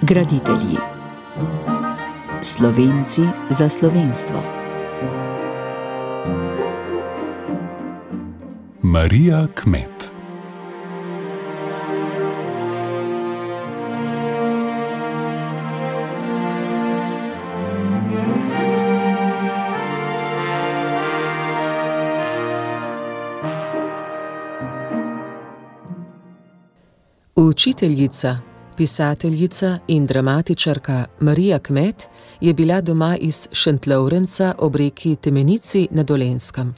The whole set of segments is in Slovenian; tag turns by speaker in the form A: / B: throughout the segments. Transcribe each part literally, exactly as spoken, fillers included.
A: Graditelji. Slovenci za slovenstvo.
B: Marija Kmet.
C: Učiteljica, pisateljica in dramatičarka Marija Kmet je bila doma iz Šentlovrenca ob reki Temenici na Dolenjskem.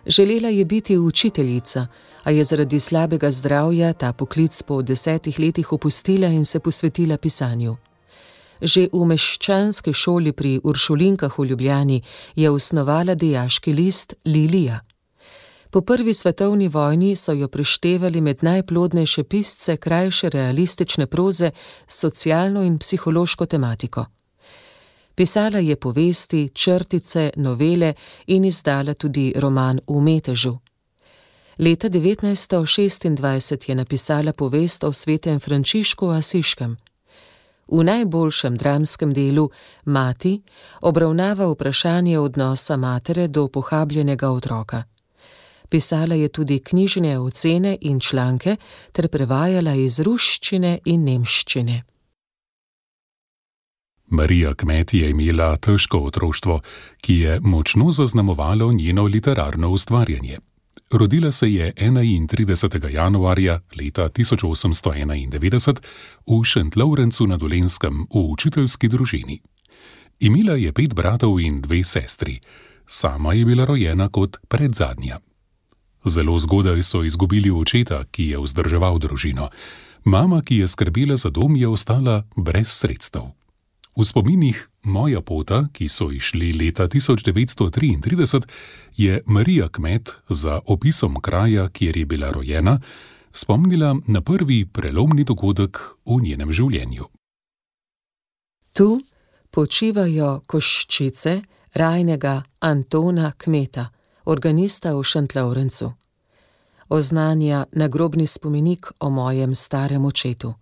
C: Želela je biti učiteljica, a je zaradi slabega zdravja ta poklic po desetih letih opustila in se posvetila pisanju. Že v meščanski šoli pri Uršulinkah v Ljubljani je osnovala dijaški list Lilija. Po prvi svetovni vojni so jo prištevali med najplodnejše pisce krajše realistične proze s socialno in psihološko tematiko. Pisala je povesti, črtice, novele in izdala tudi roman V metežu. Leta devetnajststo šestindvajset je napisala povest o svetem Frančišku Asiškem. V najboljšem dramskem delu Mati obravnava vprašanje odnosa matere do pohabljenega otroka. Pisala je tudi knjižne ocene in članke ter prevajala iz ruščine in nemščine.
B: Marija Kmet je imela težko otroštvo, ki je močno zaznamovalo njeno literarno ustvarjanje. Rodila se je enaintridesetega januarja leta tisoč osemsto enaindevetdeset v Šentlovrencu na Dolenjskem v učiteljski družini. Imela je pet bratov in dve sestri. Sama je bila rojena kot predzadnja. Zelo zgodaj so izgubili očeta, ki je vzdrževal družino. Mama, ki je skrbela za dom, je ostala brez sredstev. V spominih Moja pota, ki so izšli leta tisoč devetsto triintrideset, je Marija Kmet za opisom kraja, kjer je bila rojena, spomnila na prvi prelomni dogodek v njenem življenju.
C: Tu počivajo koščice rajnega Antona Kmeta, organista v Šentlovrencu. Oznanja nagrobni spomenik o mojem starem očetu.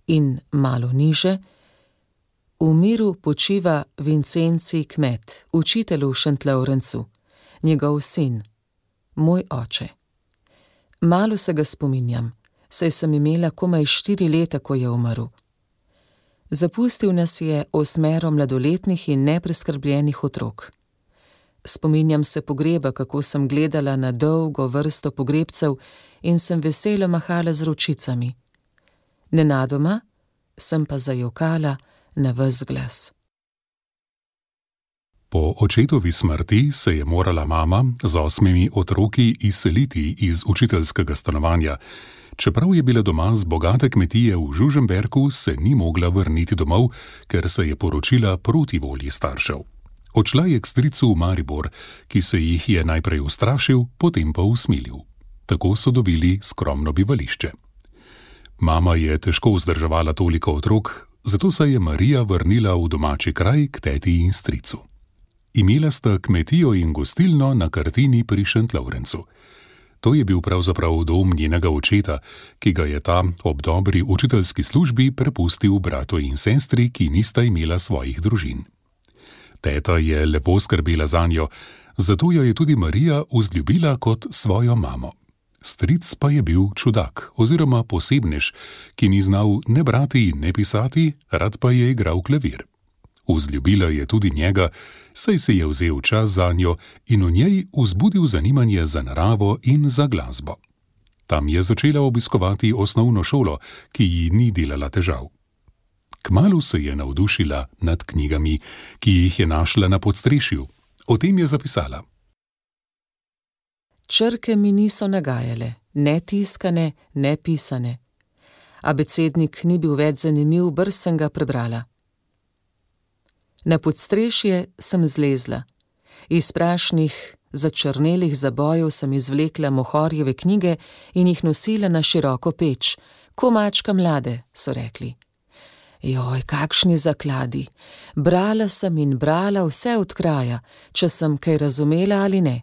C: In malo niže, v miru počiva Vincenci Kmet, učitelj v Šentlovrencu, njegov sin, moj oče. Malo se ga spominjam, saj sem imela komaj štiri leta, ko je umrl. Zapustil nas je osmero mladoletnih in nepreskrbljenih otrok. Spominjam se pogreba, kako sem gledala na dolgo vrsto pogrebcev in sem veselo mahala z ročicami. Nenadoma sem pa zajokala na ves glas.
B: Po očetovi smrti se je morala mama z osmimi otroki izseliti iz učiteljskega stanovanja. Čeprav je bila doma z bogate kmetije v Žužemberku, se ni mogla vrniti domov, ker se je poročila proti volji staršev. Odšla je k stricu v Maribor, ki se jih je najprej ustrašil, potem pa usmilil. Tako so dobili skromno bivališče. Mama je težko vzdrževala toliko otrok, zato se je Marija vrnila v domači kraj k teti in stricu. Imela sta kmetijo in gostilno na Kartini pri Šentlovrencu. To je bil pravzaprav dom njenega očeta, ki ga je ta ob dobri učiteljski službi prepustil bratu in sestri, ki nista imela svojih družin. Teta je lepo skrbela zanjo, zato jo je tudi Marija vzljubila kot svojo mamo. Stric pa je bil čudak oziroma posebnež, ki ni znal ne brati in ne pisati, rad pa je igral klavir. Vzljubila je tudi njega, saj se je vzel čas zanjo in v njej vzbudil zanimanje za naravo in za glasbo. Tam je začela obiskovati osnovno šolo, ki ji ni delala težav. Kmalu se je navdušila nad knjigami, ki jih je našla na podstrešju. O tem je zapisala.
C: Črke mi niso nagajale, ne tiskane, ne pisane. Abecednik ni bil več zanimiv, brž sem ga prebrala. Na podstrešje sem zlezla. Iz prašnih, začrnelih zabojev sem izvlekla Mohorjeve knjige in jih nosila na široko peč. Ko mačka mlade, so rekli. Joj, kakšni zakladi. Brala sem in brala vse od kraja, če sem kaj razumela ali ne.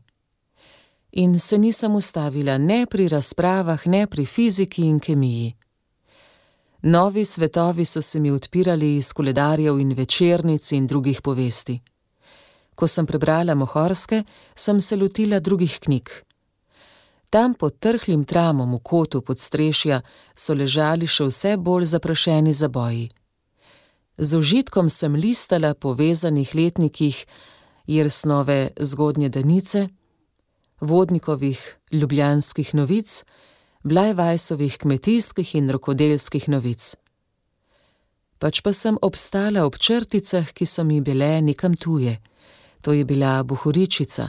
C: In se nisem ustavila ne pri razpravah, ne pri fiziki in kemiji. Novi svetovi so se mi odpirali iz koledarjev in večernic in drugih povesti. Ko sem prebrala Mohorske, sem se lotila drugih knjig. Tam pod trhlim tramom v kotu podstrešja so ležali še vse bolj zaprašeni zaboji. Z užitkom sem listala po vezanih letnikih Jersnove Zgodnje Danice, Vodnikovih Ljubljanskih novic, Blajvajsovih kmetijskih in rokodelskih novic. Pač pa sem obstala ob črticah, ki so mi bile nekam tuje. To je bila bohoričica,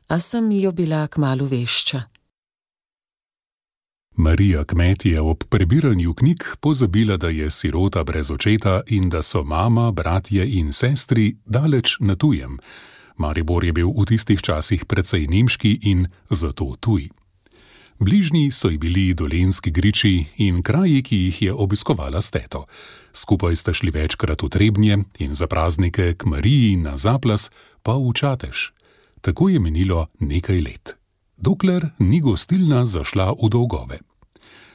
C: a sem jo bila kmalu vešča.
B: Marija Kmet je ob prebiranju knjig pozabila, da je sirota brez očeta in da so mama, bratje in sestri daleč na tujem. Maribor je bil v tistih časih precej nemški in zato tuj. Bližnji so ji bili Dolenjski griči in kraji, ki jih je obiskovala s teto. Skupaj sta šli večkrat v Trebnje in za praznike k Mariji na Zaplas pa v Čatež. Tako je minilo nekaj let, dokler ni gostilna zašla v dolgove.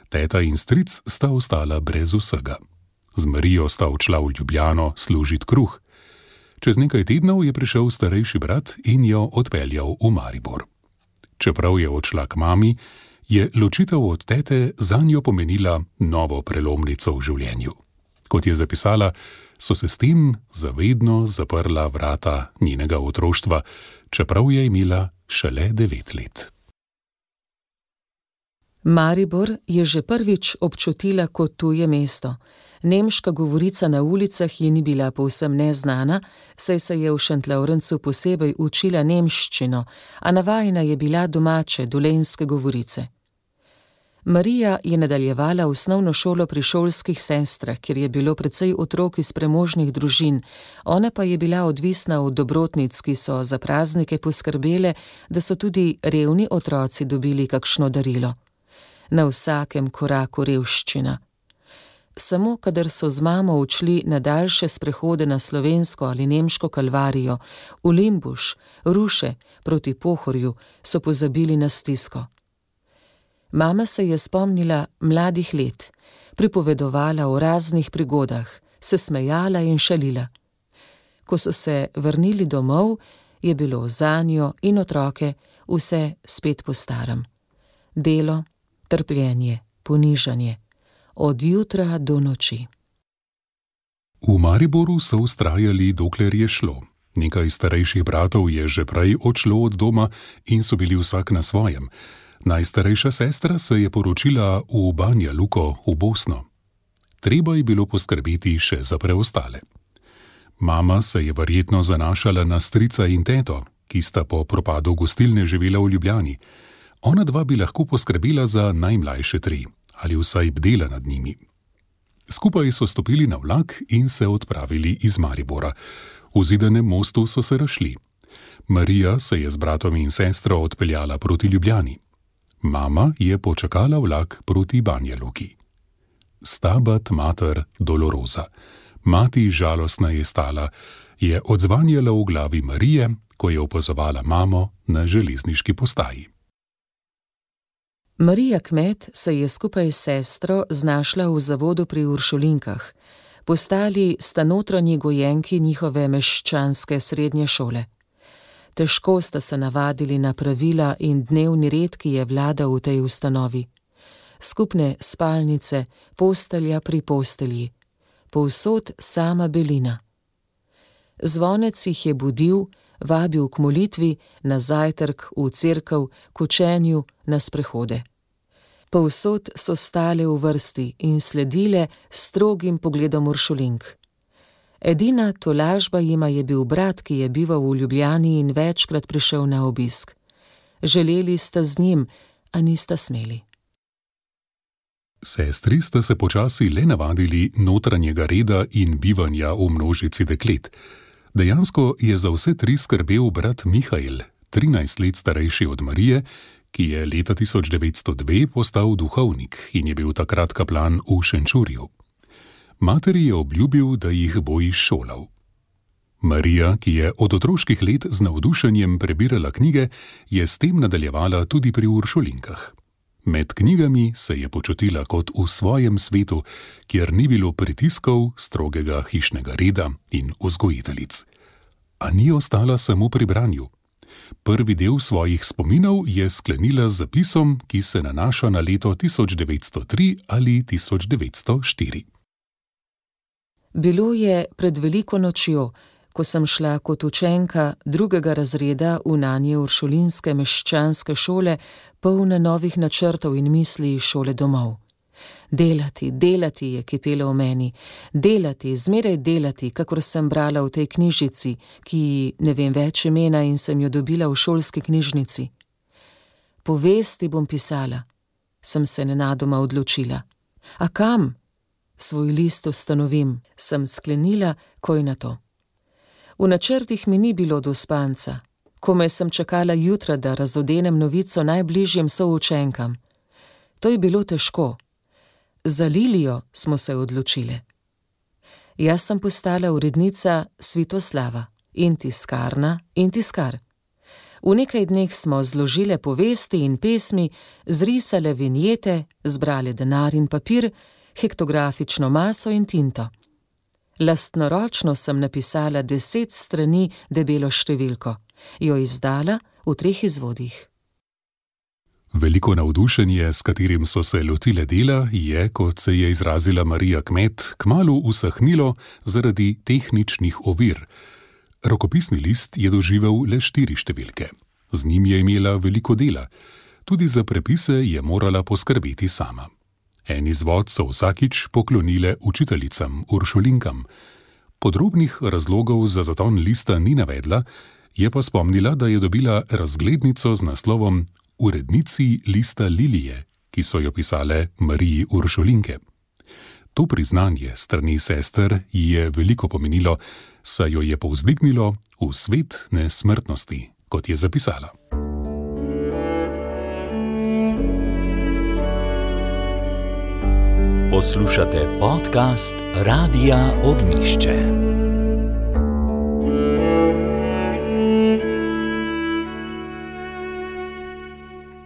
B: Teta in stric sta ostala brez vsega. Z Marijo sta odšla v Ljubljano služit kruh. Čez nekaj tednov je prišel starejši brat in jo odpeljal v Maribor. Čeprav je odšla k mami, je ločitev od tete zanjo pomenila novo prelomnico v življenju. Kot je zapisala, so se s tem zavedno zaprla vrata njenega otroštva, čeprav je imela šele devet let.
C: Maribor je že prvič občutila kot tuje mesto. Nemška govorica na ulicah ji ni bila povsem neznana, saj se je v Šentlavrencu posebej učila nemščino, a navajena je bila domače dolenjske govorice. Marija je nadaljevala osnovno šolo pri šolskih sestrah, kjer je bilo precej otrok iz premožnih družin, ona pa je bila odvisna od dobrotnic, ki so za praznike poskrbele, da so tudi revni otroci dobili kakšno darilo. Na vsakem koraku revščina. Samo kadar so z mamo odšli na daljše sprehode na slovensko ali nemško kalvarijo, v Limbuš, Ruše, proti Pohorju, so pozabili na stisko. Mama se je spomnila mladih let, pripovedovala o raznih prigodah, se smejala in šalila. Ko so se vrnili domov, je bilo zanjo in otroke vse spet po starem. Delo, trpljenje, ponižanje, od jutra do noči.
B: V Mariboru so vztrajali, dokler je šlo. Nekaj starejših bratov je že prej odšlo od doma in so bili vsak na svojem. Najstarejša sestra se je poročila v Banja Luko v Bosno. Treba je bilo poskrbeti še za preostale. Mama se je verjetno zanašala na strica in teto, ki sta po propadu gostilne živela v Ljubljani. Ona dva bi lahko poskrbela za najmlajše tri, ali vsaj bdela nad njimi. Skupaj so stopili na vlak in se odpravili iz Maribora. V Zidanem mostu so se razšli. Marija se je z bratom in sestro odpeljala proti Ljubljani. Mama je počakala vlak proti Banja Luki. Stabat mater dolorosa. Mati žalostna je stala, je odzvanjala v glavi Marije, ko je opazovala mamo na železniški postaji.
C: Marija Kmet se je skupaj s sestro znašla v zavodu pri Uršulinkah. Postali sta notranji gojenki njihove meščanske srednje šole. Težko sta se navadili na pravila in dnevni red, ki je vladal v tej ustanovi. Skupne spalnice, postelja pri postelji. Povsod sama belina. Zvonec jih je budil, vabil k molitvi, na zajtrk, v cerkev, k učenju, na sprehode. Povsod so stale v vrsti in sledile strogim pogledom Uršulink. Edina tolažba jima je bil brat, ki je bival v Ljubljani in večkrat prišel na obisk. Želeli sta z njim, a nista smeli.
B: Sestri sta se počasi le navadili notranjega reda in bivanja v množici deklet. Dejansko je za vse tri skrbel brat Mihael, trinajst let starejši od Marije, ki je leta tisoč devetsto dve postal duhovnik in je bil takrat kaplan v Šenčurju. Materi je obljubil, da jih bo izšolal. Marija, ki je od otroških let z navdušenjem prebirala knjige, je s tem nadaljevala tudi pri Uršulinkah. Med knjigami se je počutila kot v svojem svetu, kjer ni bilo pritiskov, strogega hišnega reda in vzgojiteljic. A ni ostala samo pri branju. Prvi del svojih spominov je sklenila z zapisom, ki se nanaša na leto tisoč devetsto tri ali tisoč devetsto štiri.
C: Bilo je pred veliko nočjo, ko sem šla kot učenka drugega razreda v nanje uršulinske meščanske šole, polne novih načrtov in misli iz šole domov. Delati, delati je kipelo v meni, delati, zmeraj delati, kakor sem brala v tej knjižici, ki ne vem več imena in sem jo dobila v šolski knjižnici. Povesti bom pisala, sem se nenadoma odločila. A kam? Svoj list ustanovim, sem sklenila, koj na to. V načrtih mi ni bilo do spanca, komaj sem čakala jutra, da razodenem novico najbližjim součenkam. To je bilo težko. Za Lilijo smo se odločile. Jaz sem postala urednica Svitoslava in tiskarna in tiskar. V nekaj dneh smo zložile povesti in pesmi, zrisale vinjete, zbrale denar in papir, hektografično maso in tinto. Lastnoročno sem napisala deset strani debelo številko, jo izdala v treh izvodih.
B: Veliko navdušenje, s katerim so se lotile dela, je, kot se je izrazila Marija Kmet, kmalu usahnilo zaradi tehničnih ovir. Rokopisni list je doživel le štiri številke. Z njim je imela veliko dela. Tudi za prepise je morala poskrbeti sama. En izvod so vsakič poklonile učiteljicam, uršulinkam. Podrobnih razlogov za zaton lista ni navedla, je pa spomnila, da je dobila razglednico z naslovom Urednici lista Lilije, ki so jo pisale Mariji Uršulinke. To priznanje strani sester ji je veliko pomenilo, saj jo je povzdignilo v svet nesmrtnosti, kot je zapisala.
D: Poslušate podcast Radia Ognjišče.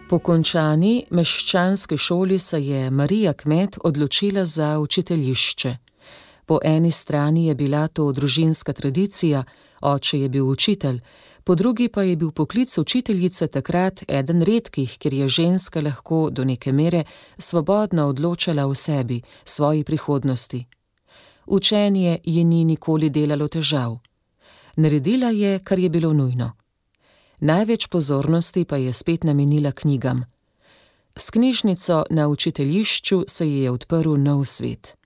C: Po končani meščanski šoli se je Marija Kmet odločila za učiteljišče. Po eni strani je bila to družinska tradicija, oče je bil učitelj, po drugi pa je bil poklic učiteljice takrat eden redkih, kjer je ženska lahko do neke mere svobodno odločala o sebi, svoji prihodnosti. Učenje ji ni nikoli delalo težav. Naredila je, kar je bilo nujno. Največ pozornosti pa je spet namenila knjigam. S knjižnico na učiteljišču se ji je odprl nov svet.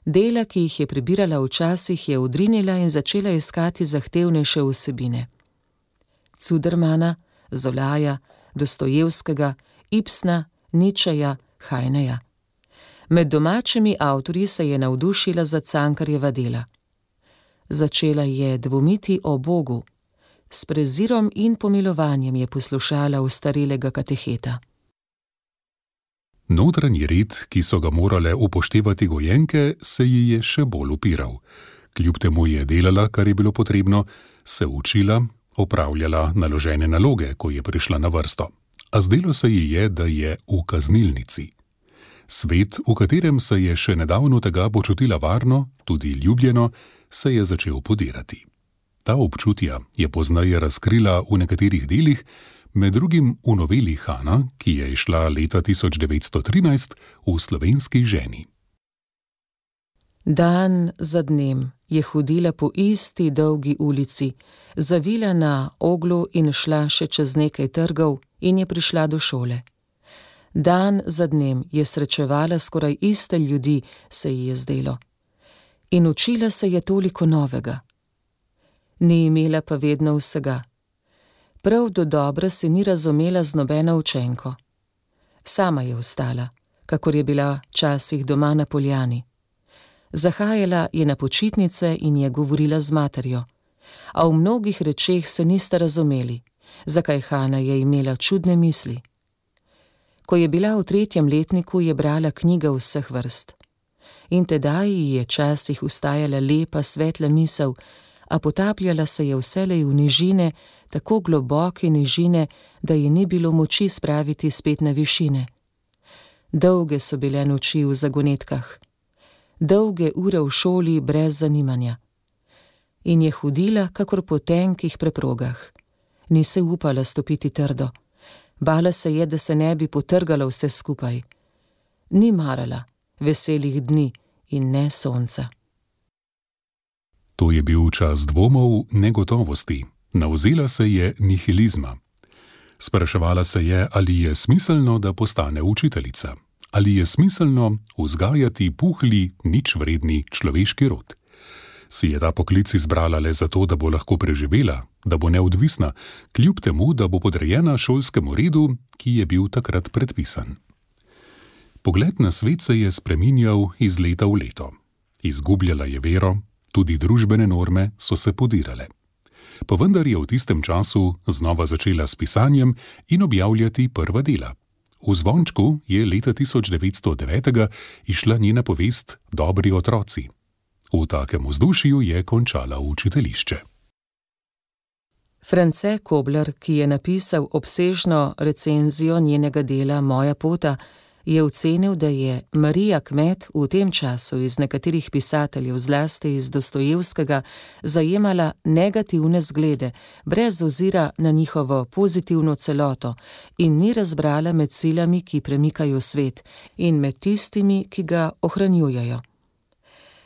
C: Dela, ki jih je prebirala včasih, je odrinila in začela iskati zahtevnejše vsebine. Cudermana, Zolaja, Dostojevskega, Ibsna, Ničeja, Hajneja. Med domačimi avtorji se je navdušila za Cankarjeva dela. Začela je dvomiti o Bogu. S prezirom in pomilovanjem je poslušala ostarelega kateheta.
B: Notranji red, ki so ga morale upoštevati gojenke, se ji je še bolj upiral. Kljub temu je delala, kar je bilo potrebno, se učila, opravljala naložene naloge, ko je prišla na vrsto. A zdelo se ji je, da je v kaznilnici. Svet, v katerem se je še nedavno tega počutila varno, tudi ljubljeno, se je začel podirati. Ta občutja je pozneje razkrila v nekaterih delih, med drugim v noveli Hana, ki je izšla leta tisoč devetsto trinajst v Slovenski ženi.
C: Dan za dnem je hodila po isti dolgi ulici, zavila na oglu in šla še čez nekaj trgov in je prišla do šole. Dan za dnem je srečevala skoraj iste ljudi, se ji je zdelo. In učila se je toliko novega. Ni imela pa vedno vsega. Prav do dobra se ni razumela z nobeno učenko. Sama je ostala, kakor je bila včasih doma na poljani. Zahajala je na počitnice in je govorila z materjo, a v mnogih rečeh se nista razumeli, zakaj Hana je imela čudne misli. Ko je bila v tretjem letniku, je brala knjige vseh vrst. In tedaj ji je časih ustajala lepa, svetla misel, a potapljala se je vselej v nižine, tako globoke nižine, da ji ni bilo moči spraviti spet na višine. Dolge so bile noči v zagonetkah, dolge ure v šoli brez zanimanja. In je hodila, kakor po tenkih preprogah. Ni se upala stopiti trdo. Bala se je, da se ne bi potrgala vse skupaj. Ni marala veselih dni in ne sonca.
B: To je bil čas dvomov, negotovosti. Navzela se je nihilizma. Spraševala se je, ali je smiselno, da postane učiteljica. Ali je smiselno vzgajati puhli, ničvredni človeški rod. Si je ta poklic izbrala le zato, da bo lahko preživela, da bo neodvisna, kljub temu, da bo podrejena šolskemu redu, ki je bil takrat predpisan. Pogled na svet se je spreminjal iz leta v leto. Izgubljala je vero, tudi družbene norme so se podirale. Pa vendar je v tistem času znova začela s pisanjem in objavljati prva dela. V zvončku je leta tisoč devetsto devet izšla njena povest Dobri otroci. V takem vzdušju je končala učiteljišče.
C: France Kobler, ki je napisal obsežno recenzijo njenega dela Moja pota, je ocenil, da je Marija Kmet v tem času iz nekaterih pisateljev, zlasti iz Dostojevskega, zajemala negativne zglede, brez ozira na njihovo pozitivno celoto in ni razbrala med silami, ki premikajo svet, in med tistimi, ki ga ohranjujejo.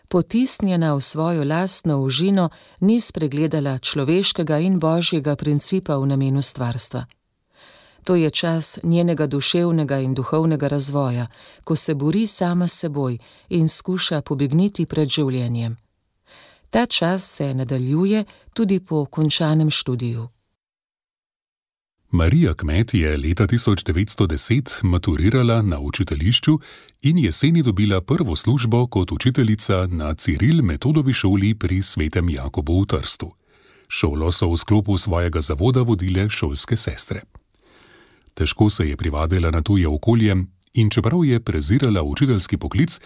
C: Potisnjena v svojo lastno užino, ni spregledala človeškega in božjega principa v namenu stvarstva. To je čas njenega duševnega in duhovnega razvoja, ko se bori sama s seboj in skuša pobegniti pred življenjem. Ta čas se nadaljuje tudi po končanem študiju.
B: Marija Kmet je leta tisoč devetsto deset maturirala na učiteljišču in jeseni dobila prvo službo kot učiteljica na Ciril Metodovi šoli pri Svetem Jakobu v Trstu. Šolo so v sklopu svojega zavoda vodile šolske sestre. Težko se je privadila na tuje okolje in čeprav je prezirala učiteljski poklic,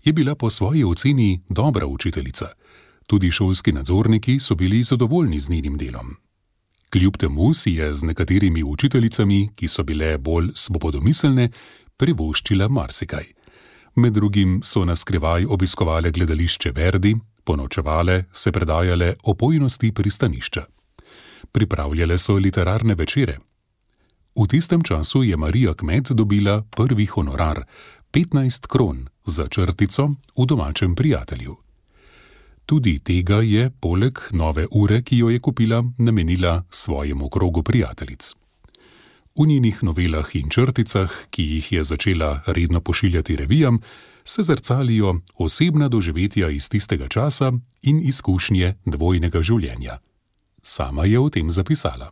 B: je bila po svoji oceni dobra učiteljica. Tudi šolski nadzorniki so bili zadovoljni z njenim delom. Kljub temu si je z nekaterimi učiteljicami, ki so bile bolj svobodomiselne, privoščila marsikaj. Med drugim so na skrivaj obiskovale gledališče Verdi, ponočevale, se predajale opojnosti pristanišča. Pripravljale so literarne večere. V tistem času je Marija Kmet dobila prvi honorar, petnajst kron, za črtico v Domačem prijatelju. Tudi tega je, poleg nove ure, ki jo je kupila, namenila svojemu krogu prijateljic. V njenih novelah in črticah, ki jih je začela redno pošiljati revijam, se zrcalijo osebna doživetja iz tistega časa in izkušnje dvojnega življenja. Sama je o tem zapisala.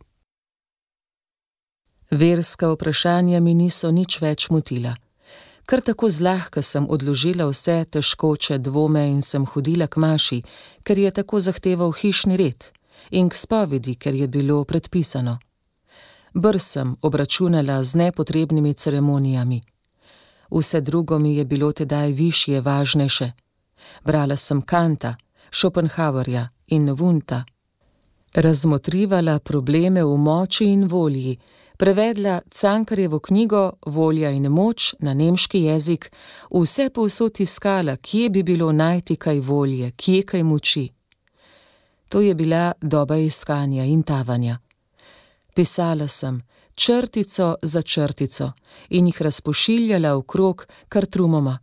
C: Verska vprašanja mi niso nič več motila. Kar tako zlahka sem odložila vse težkoče dvome in sem hodila k maši, ker je tako zahteval hišni red, in k spovedi, ker je bilo predpisano. Brz sem obračunala z nepotrebnimi ceremonijami. Vse drugo mi je bilo tedaj višje, važnejše. Brala sem Kanta, Schopenhauerja in Wundta. Razmotrivala probleme v moči in volji, prevedla Cankarjevo knjigo Volja in moč na nemški jezik, vse povsod iskala, kje bi bilo najti kaj volje, kje kaj moči. To je bila doba iskanja in tavanja. Pisala sem črtico za črtico in jih razpošiljala v krog kar trumoma.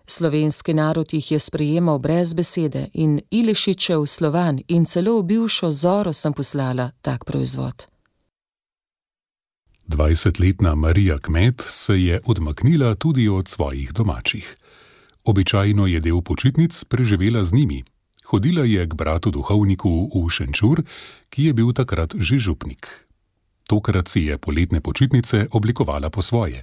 C: Slovenski narod jih je sprejemal brez besede in Ilešičev Slovan in celo v bivšo Zoro sem poslala tak proizvod.
B: Dvajsetletna Marija Kmet se je odmaknila tudi od svojih domačih. Običajno je del počitnic preživela z njimi. Hodila je k bratu duhovniku v Šenčur, ki je bil takrat že župnik. Tokrat si je poletne počitnice oblikovala po svoje.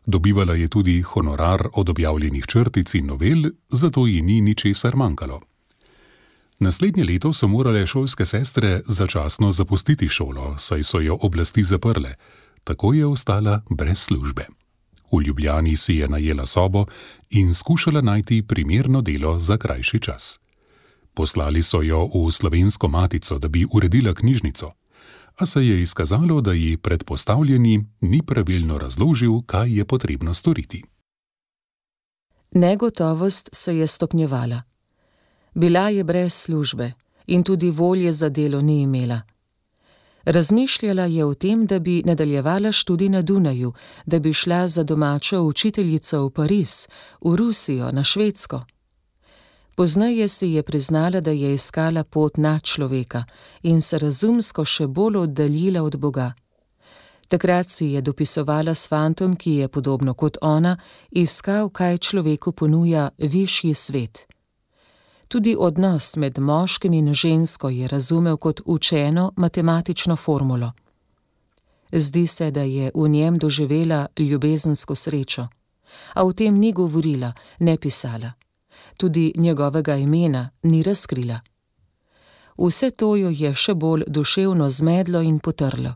B: Dobivala je tudi honorar od objavljenih črtic in novel, zato ji ni ničesar manjkalo. Naslednje leto so morale šolske sestre začasno zapustiti šolo, saj so jo oblasti zaprle. Tako je ostala brez službe. V Ljubljani si je najela sobo in skušala najti primerno delo za krajši čas. Poslali so jo v Slovensko matico, da bi uredila knjižnico, a se je izkazalo, da ji predpostavljeni ni pravilno razložil, kaj je potrebno storiti.
C: Negotovost se je stopnjevala. Bila je brez službe in tudi volje za delo ni imela. Razmišljala je o tem, da bi nadaljevala študij na Dunaju, da bi šla za domačo učiteljico v Pariz, v Rusijo, na Švedsko. Pozneje si je priznala, da je iskala pot nad človeka in se razumsko še bolj oddaljila od Boga. Takrat si je dopisovala s fantom, ki je, podobno kot ona, iskal, kaj človeku ponuja višji svet. Tudi odnos med moškim in žensko je razumel kot učeno matematično formulo. Zdi se, da je v njem doživela ljubezensko srečo, a o tem ni govorila, ne pisala. Tudi njegovega imena ni razkrila. Vse to jo je še bolj duševno zmedlo in potrlo.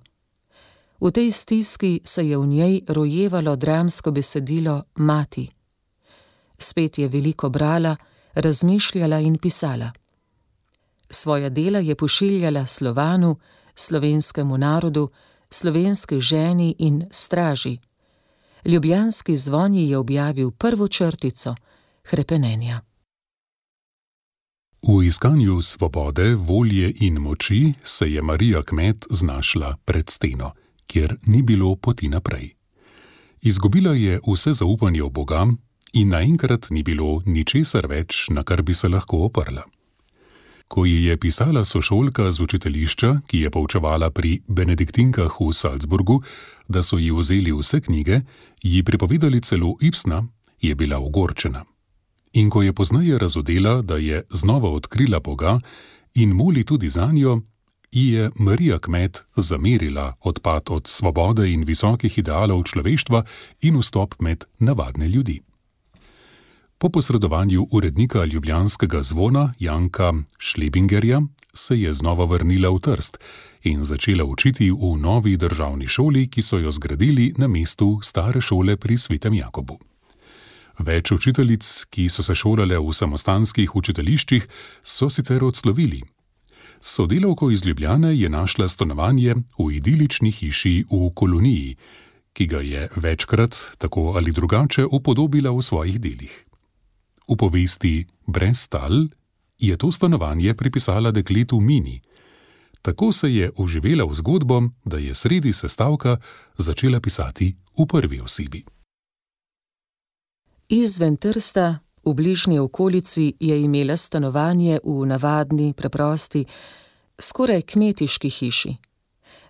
C: V tej stiski se je v njej rojevalo dramsko besedilo Mati. Spet je veliko brala, razmišljala in pisala. Svoja dela je pošiljala Slovanu, slovenskemu narodu, slovenski ženi in straži. Ljubljanski zvon je objavil prvo črtico hrepenenja.
B: V iskanju svobode, volje in moči se je Marija Kmet znašla pred steno, kjer ni bilo poti naprej. Izgubila je vse zaupanje v Boga in naenkrat ni bilo ničesar več, na kar bi se lahko oprla. Ko ji je pisala sošolka z učiteljišča, ki je poučevala pri benediktinkah v Salzburgu, da so ji vzeli vse knjige, ji pripovedali celo Ibsna, je bila ogorčena. In ko je pozneje razodela, da je znova odkrila Boga in moli tudi zanjo, ji je Marija Kmet zamerila odpad od svobode in visokih idealov človeštva in vstop med navadne ljudi. Po posredovanju urednika ljubljanskega zvona Janka Šlebingerja se je znova vrnila v Trst in začela učiti v novi državni šoli, ki so jo zgradili na mestu stare šole pri Svetem Jakobu. Več učiteljic, ki so se šolale v samostanskih učiteljiščih, so sicer odslovili. Sodelavko iz Ljubljane je našla stanovanje v idilični hiši v koloniji, ki ga je večkrat, tako ali drugače, upodobila v svojih delih. V povesti Brez tal je to stanovanje pripisala dekletu Mini. Tako se je oživela v zgodbo, da je sredi sestavka začela pisati v prvi osebi.
C: Izven Trsta, v bližnji okolici, je imela stanovanje v navadni, preprosti, skoraj kmetiški hiši.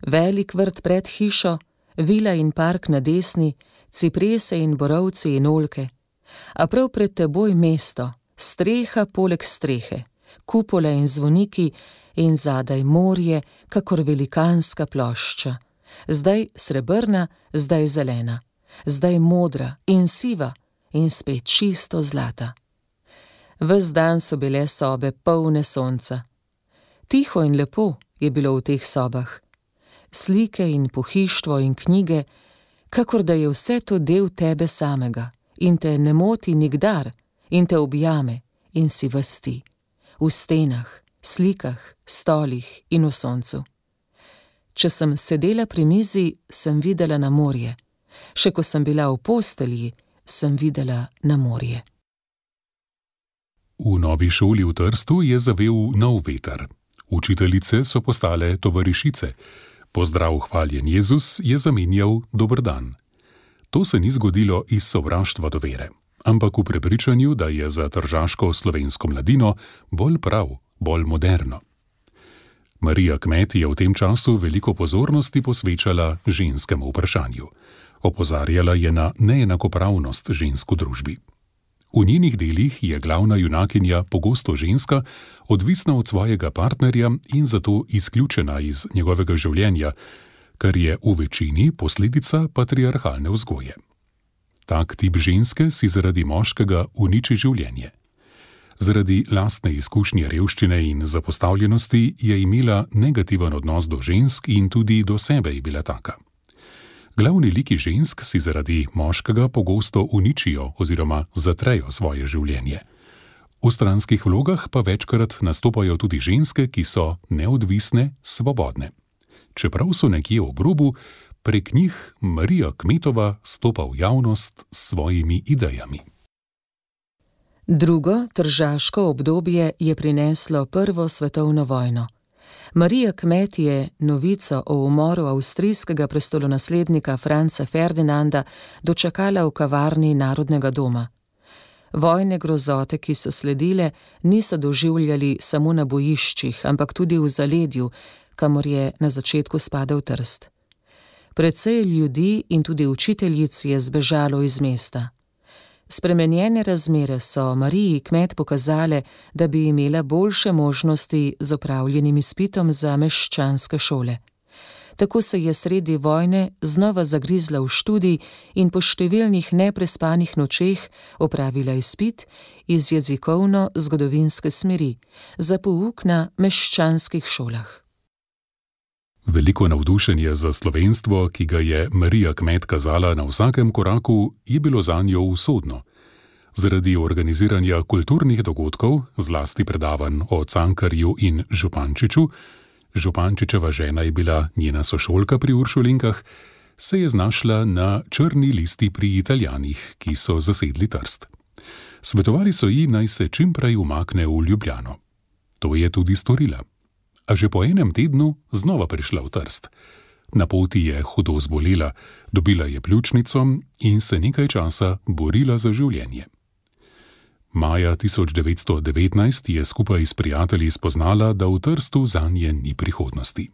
C: Velik vrt pred hišo, vila in park na desni, ciprese in borovci in oljke. A prav pred teboj mesto, streha poleg strehe, kupole in zvoniki in zadaj morje, kakor velikanska plošča. Zdaj srebrna, zdaj zelena, zdaj modra in siva in spet čisto zlata. Ves dan so bile sobe polne sonca. Tiho in lepo je bilo v teh sobah. Slike in pohištvo in knjige, kakor da je vse to del tebe samega in te ne moti nikdar in te objame in si vasti. V stenah, slikah, stolih in v soncu. Če sem sedela pri mizi, sem videla na morje. Še ko sem bila v postelji, sem videla na morje.
B: V novi šoli v Trstu je zavel nov veter. Učiteljice so postale tovarišice. Pozdrav hvaljen Jezus je zamenjal dober dan. To se ni zgodilo iz sovraštva do vere, ampak v prepričanju, da je za tržaško slovensko mladino bolj prav, bolj moderno. Marija Kmet je v tem času veliko pozornosti posvečala ženskemu vprašanju. Opozarjala je na neenakopravnost žensk v družbi. V njenih delih je glavna junakinja pogosto ženska, odvisna od svojega partnerja in zato izključena iz njegovega življenja, kar je v večini posledica patriarhalne vzgoje. Tak tip ženske si zaradi moškega uniči življenje. Zaradi lastne izkušnje revščine in zapostavljenosti je imela negativen odnos do žensk in tudi do sebe je bila taka. Glavni liki žensk si zaradi moškega pogosto uničijo oziroma zatrejo svoje življenje. V stranskih vlogah pa večkrat nastopajo tudi ženske, ki so neodvisne, svobodne. Čeprav so nekje ob robu, prek njih Marija Kmetova stopa v javnost s svojimi idejami.
C: Drugo tržaško obdobje je prineslo prvo svetovno vojno. Marija Kmet je novico o umoru avstrijskega prestolonaslednika Franca Ferdinanda dočakala v kavarni Narodnega doma. Vojne grozote, ki so sledile, niso doživljali samo na bojiščih, ampak tudi v zaledju, kamor je na začetku spadal Trst. Precej ljudi in tudi učiteljic je zbežalo iz mesta. Spremenjene razmere so Mariji Kmet pokazale, da bi imela boljše možnosti z opravljenim izpitom za meščanske šole. Tako se je sredi vojne znova zagrizla v študij in po številnih neprespanih nočeh opravila izpit iz jezikovno-zgodovinske smeri za pouk na meščanskih šolah.
B: Veliko navdušenje za slovenstvo, ki ga je Marija Kmet kazala na vsakem koraku, je bilo zanjo usodno. Zaradi organiziranja kulturnih dogodkov, zlasti predavanj o Cankarju in Župančiču, Župančičeva žena je bila njena sošolka pri Uršulinkah, se je znašla na črni listi pri Italijanih, ki so zasedli Trst. Svetovali so ji, naj se čim prej umakne v Ljubljano. To je tudi storila. A že po enem tednu znova prišla v Trst. Na poti je hudo zbolela, dobila je pljučnico in se nekaj časa borila za življenje. Maja tisoč devetsto devetnajst je skupaj s prijatelji spoznala, da v Trstu zanje ni prihodnosti.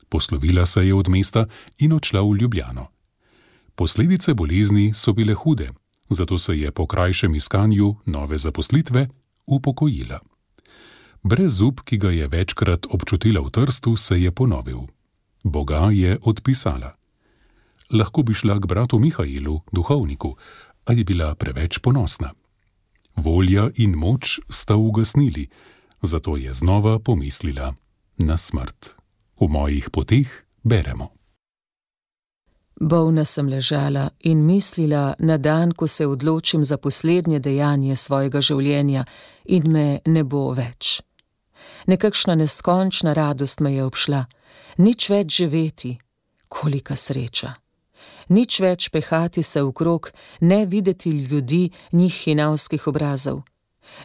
B: Poslovila se je od mesta in odšla v Ljubljano. Posledice bolezni so bile hude, zato se je po krajšem iskanju nove zaposlitve upokojila. Brezup, ki ga je večkrat občutila v Trstu, se je ponovil. Boga je odpisala. Lahko bi šla k bratu Mihailu, duhovniku, a je bila preveč ponosna. Volja in moč sta ugasnili, zato je znova pomislila na smrt. V mojih poteh beremo.
C: Bolna sem ležala in mislila na dan, ko se odločim za poslednje dejanje svojega življenja in me ne bo več. Nekakšna neskončna radost me je obšla, nič več živeti, kolika sreča. Nič več pehati se okrog, ne videti ljudi njih hinavskih obrazov.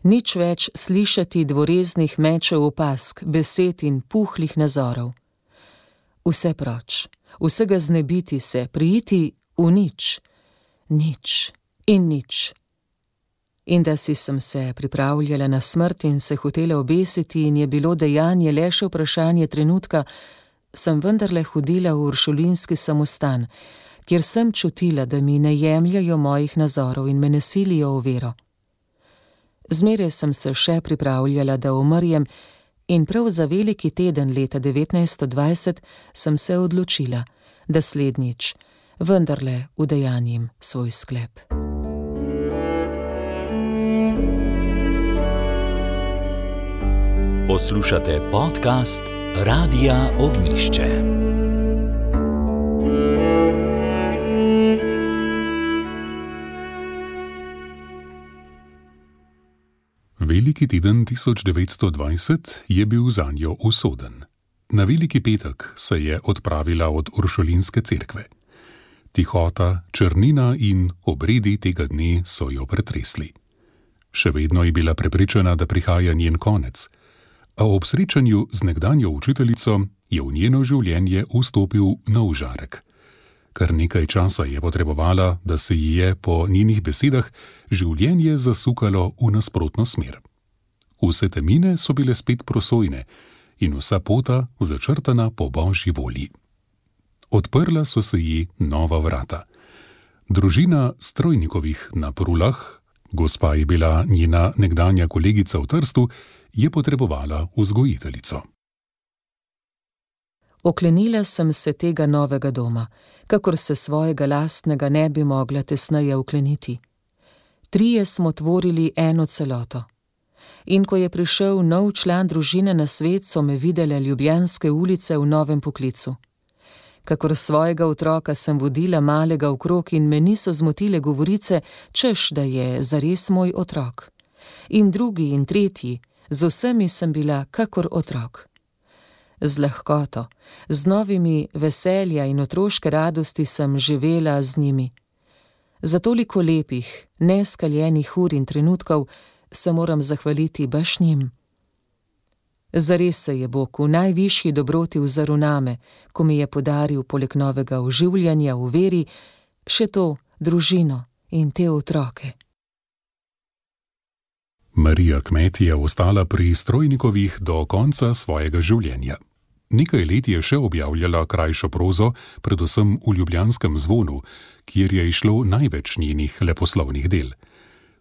C: Nič več slišati dvoreznih mečev opask, besed in puhlih nazorov. Vse proč, vsega znebiti se, prijiti v nič, nič in nič. In da si sem se pripravljala na smrt in se hotela obesiti in je bilo dejanje le še vprašanje trenutka, sem vendarle hodila v uršulinski samostan, kjer sem čutila, da mi ne jemljajo mojih nazorov in me ne silijo v vero. Zmeraj sem se še pripravljala, da umrjem, in prav za veliki teden leta devetnajststo dvajset sem se odločila, da slednjič vendarle udejanjim svoj sklep.
D: Poslušate podcast Radia Ognišče.
B: Veliki teden tisoč devetsto dvajset je bil zanjo usoden. Na veliki petek se je odpravila od Uršulinske cerkve. Tihota, črnina in obredi tega dne so jo pretresli. Še vedno je bila prepričana, da prihaja njen konec, a ob srečanju z nekdanjo učiteljico je v njeno življenje vstopil nov žarek. Kar nekaj časa je potrebovala, da se ji je po njenih besedah življenje zasukalo v nasprotno smer. Vse temine so bile spet prosojne in vsa pota začrtana po božji volji. Odprla so se ji nova vrata. Družina Strojnikovih na Prulah, gospa je bila njena nekdanja kolegica v Trstu, je potrebovala vzgojiteljico.
C: Oklenila sem se tega novega doma, kakor se svojega lastnega ne bi mogla tesneje okleniti. Trije smo tvorili eno celoto. In ko je prišel nov član družine na svet, so me videle ljubljanske ulice v novem poklicu. Kakor svojega otroka sem vodila malega okrog in me niso zmotile govorice, češ, da je zares moj otrok. in drugi in tretji, z vsemi sem bila kakor otrok. Z lahkoto, z novimi veselja in otroške radosti sem živela z njimi. Za toliko lepih, neskaljenih ur in trenutkov se moram zahvaliti baš njim. Zares se je Bog v najvišji dobroti vzrl name, ko mi je podaril poleg novega oživljanja v veri še to družino in te otroke.
B: Marija Kmet je ostala pri Strojnikovih do konca svojega življenja. Nekaj let je še objavljala krajšo prozo, predvsem v Ljubljanskem zvonu, kjer je išlo največ njenih leposlovnih del.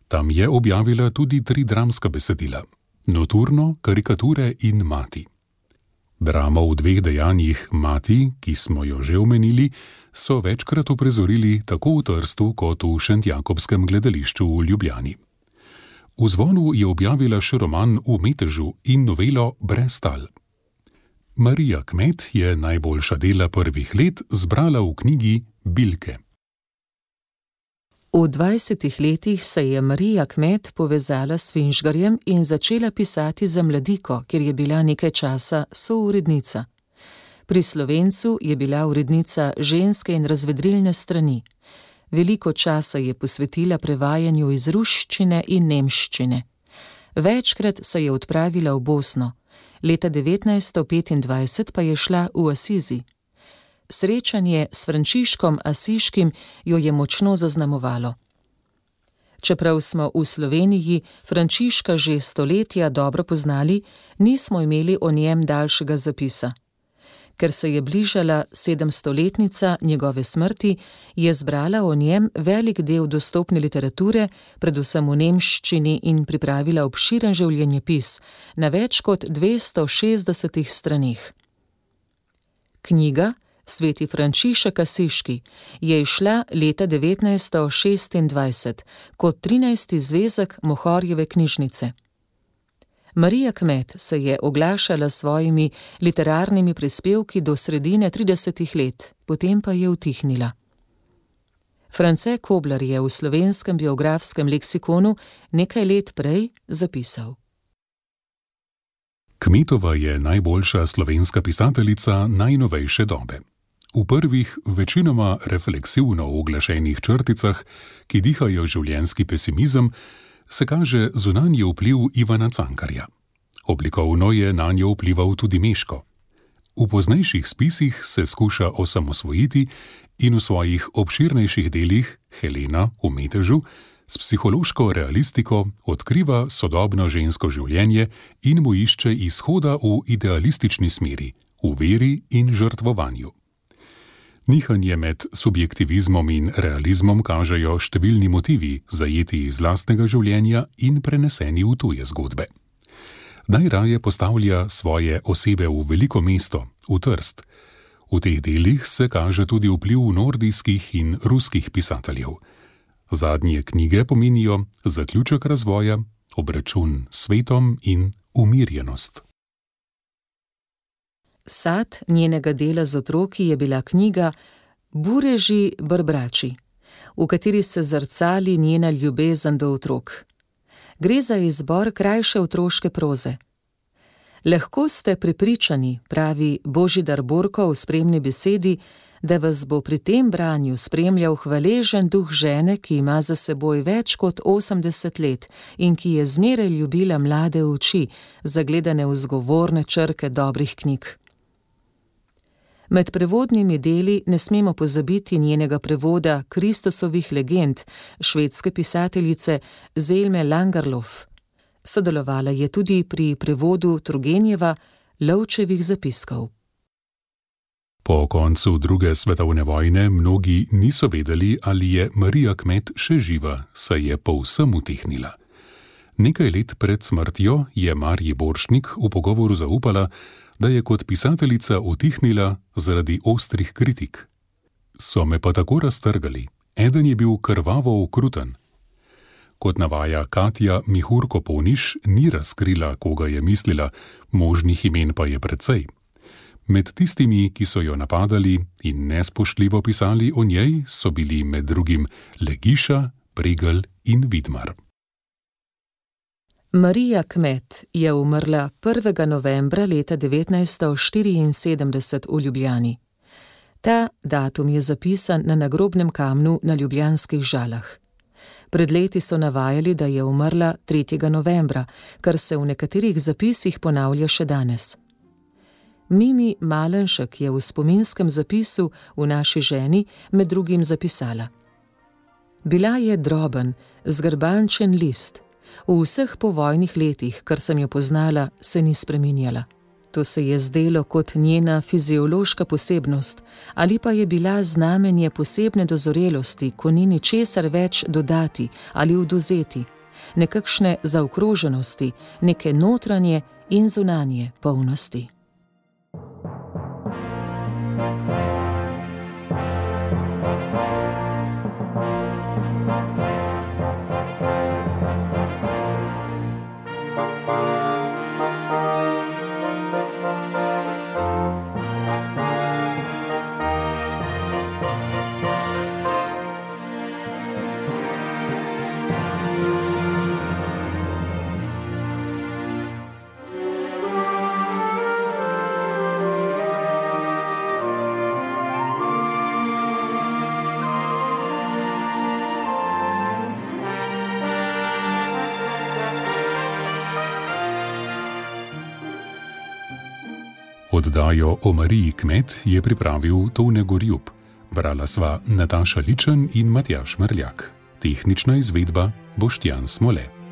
B: Tam je objavila tudi tri dramska besedila: Noturno, Karikature in Mati. Dramo v dveh dejanjih Mati, ki smo jo že omenili, so večkrat uprizorili tako v Trstu kot v Šentjakobskem gledališču v Ljubljani. V Zvonu je objavila še roman V metežu in novelo Brez tal. Marija Kmet je najboljša dela prvih let zbrala v knjigi Bilke.
C: V dvajsetih letih se je Marija Kmet povezala s Finžgarjem in začela pisati za Mladiko, kjer je bila nekaj časa sourednica. Pri Slovencu je bila urednica ženske in razvedrilne strani. Veliko časa je posvetila prevajanju iz ruščine in nemščine. Večkrat se je odpravila v Bosno, leta devetnajststo petindvajset pa je šla v Asizi. Srečanje s Frančiškom Asiškim jo je močno zaznamovalo. Čeprav smo v Sloveniji Frančiška že stoletja dobro poznali, nismo imeli o njem daljšega zapisa. Ker se je bližala sedemstoletnica njegove smrti, je zbrala o njem velik del dostopne literature, predvsem v nemščini, in pripravila obširen življenjepis na več kot dvesto šestdesetih stranih. Knjiga Sveti Frančišek Asiški je izšla leta devetnajststo šestindvajset kot trinajsti zvezek Mohorjeve knjižnice. Marija Kmet se je oglašala s svojimi literarnimi prispevki do sredine tridesetih let, potem pa je utihnila. France Koblar je v Slovenskem biografskem leksikonu nekaj let prej zapisal:
B: Kmetova je najboljša slovenska pisateljica najnovejše dobe. V prvih, večinoma refleksivno uglašenih črticah, ki dihajo življenjski pesimizem, se kaže zunanji vpliv Ivana Cankarja. Oblikovno je nanjo vplival tudi Meško. V poznejših spisih se skuša osamosvojiti in v svojih obširnejših delih Helena v metežu s psihološko realistiko odkriva sodobno žensko življenje in mu išče izhoda v idealistični smeri, v veri in žrtvovanju. Nihanje med subjektivizmom in realizmom kažejo številni motivi, zajeti iz lastnega življenja in preneseni v tuje zgodbe. Najraje postavlja svoje osebe v veliko mesto, v Trst. V teh delih se kaže tudi vpliv nordijskih in ruskih pisateljev. Zadnje knjige pomenijo zaključek razvoja, obračun s svetom in umirjenost.
C: Sad njenega dela z otroki je bila knjiga Bureži brbrači, v kateri se zrcali njena ljubezen do otrok. Gre za izbor krajše otroške proze. Lahko ste prepričani, pravi Božidar Borko v spremni besedi, da vas bo pri tem branju spremljal hvaležen duh žene, ki ima za seboj več kot osemdeset let in ki je zmeraj ljubila mlade oči, zagledane v zgovorne črke dobrih knjig. Med prevodnimi deli ne smemo pozabiti njenega prevoda Kristusovih legend švedske pisateljice Zelme Langerlof. Sodelovala je tudi pri prevodu Turgenjeva Lovčevih zapiskov.
B: Po koncu druge svetovne vojne mnogi niso vedeli, ali je Marija Kmet še živa, saj je povsem utihnila. Nekaj let pred smrtjo je Marji Borštnik v pogovoru zaupala, da je kot pisateljica utihnila zaradi ostrih kritik. So me pa tako raztrgali, eden je bil krvavo okruten. Kot navaja Katja Mihurko-Povniš, ni razkrila, koga je mislila, možnih imen pa je precej. Med tistimi, ki so jo napadali in nespoštljivo pisali o njej, so bili med drugim Legiša, Pregl in Vidmar.
C: Marija Kmet je umrla prvega novembra leta devetnajststo štiriinsedemdeset v Ljubljani. Ta datum je zapisan na nagrobnem kamnu na ljubljanskih Žalah. Pred leti so navajali, da je umrla tretjega novembra, kar se v nekaterih zapisih ponavlja še danes. Mimi Malenšek je v spominskem zapisu v Naši ženi med drugim zapisala: Bila je droben, zgrbančen list. V vseh povojnih letih, kar sem jo poznala, se ni spreminjala. To se je zdelo kot njena fiziološka posebnost, ali pa je bila znamenje posebne dozorelosti, ko ni ničesar več dodati ali odvzeti, nekakšne zaokroženosti, neke notranje in zunanje polnosti.
B: Oddajo o Mariji Kmet je pripravil Tone Gorjup. Brala sva Nataša Ličen in Matjaž Merljak. Tehnična izvedba Boštjan Smole.